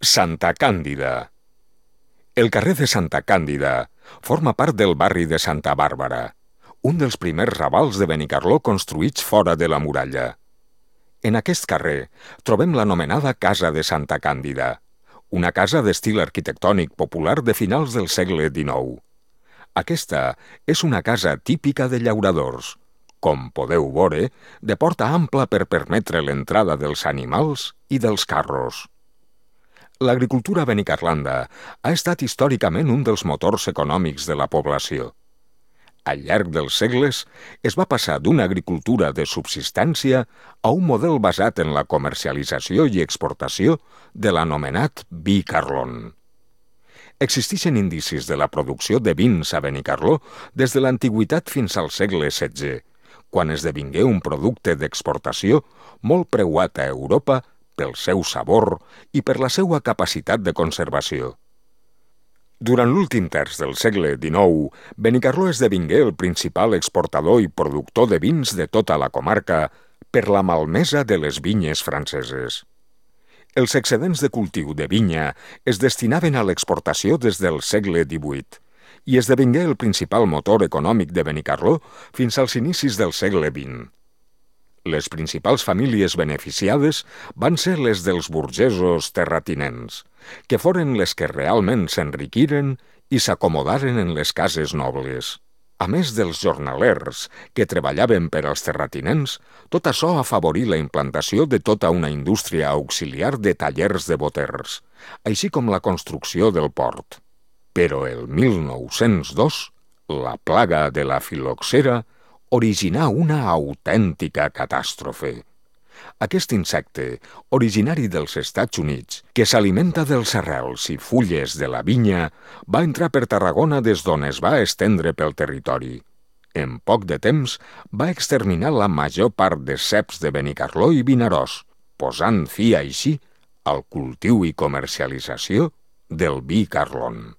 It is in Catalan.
Santa Càndida. El carrer de Santa Càndida forma part del barri de Santa Bàrbara, un dels primers ravals de Benicarló construïts fora de la muralla. En aquest carrer trobem l'anomenada Casa de Santa Càndida, una casa d'estil arquitectònic popular de finals del segle XIX. Aquesta és una casa típica de llauradors, com podeu veure, de porta ampla per permetre l'entrada dels animals i dels carros. L'agricultura a Benicarlanda ha estat històricament un dels motors econòmics de la població. Al llarg dels segles es va passar d'una agricultura de subsistència a un model basat en la comercialització i exportació de l'anomenat vi Carlon. Existeixen indicis de la producció de vins a Benicarló des de l'antiguitat fins al segle XVI, quan esdevingué un producte d'exportació molt preuat a Europa pel seu sabor i per la seva capacitat de conservació. Durant l'últim terç del segle XIX, Benicarló esdevingué el principal exportador i productor de vins de tota la comarca per la malmesa de les vinyes franceses. Els excedents de cultiu de vinya es destinaven a l'exportació des del segle XVIII i esdevingué el principal motor econòmic de Benicarló fins als inicis del segle XX. Les principals famílies beneficiades van ser les dels burgesos terratinents, que foren les que realment s'enriquiren i s'acomodaren en les cases nobles. A més dels jornalers, que treballaven per als terratinents, tot això afavorí la implantació de tota una indústria auxiliar de tallers de boters, així com la construcció del port. Però el 1902, la plaga de la filoxera originà una autèntica catàstrofe. Aquest insecte, originari dels Estats Units, que s'alimenta dels arrels i fulles de la vinya, va entrar per Tarragona des d'on es va estendre pel territori. En poc de temps va exterminar la major part de ceps de Benicarló i Vinaròs, posant fi així al cultiu i comercialització del vi Carlon.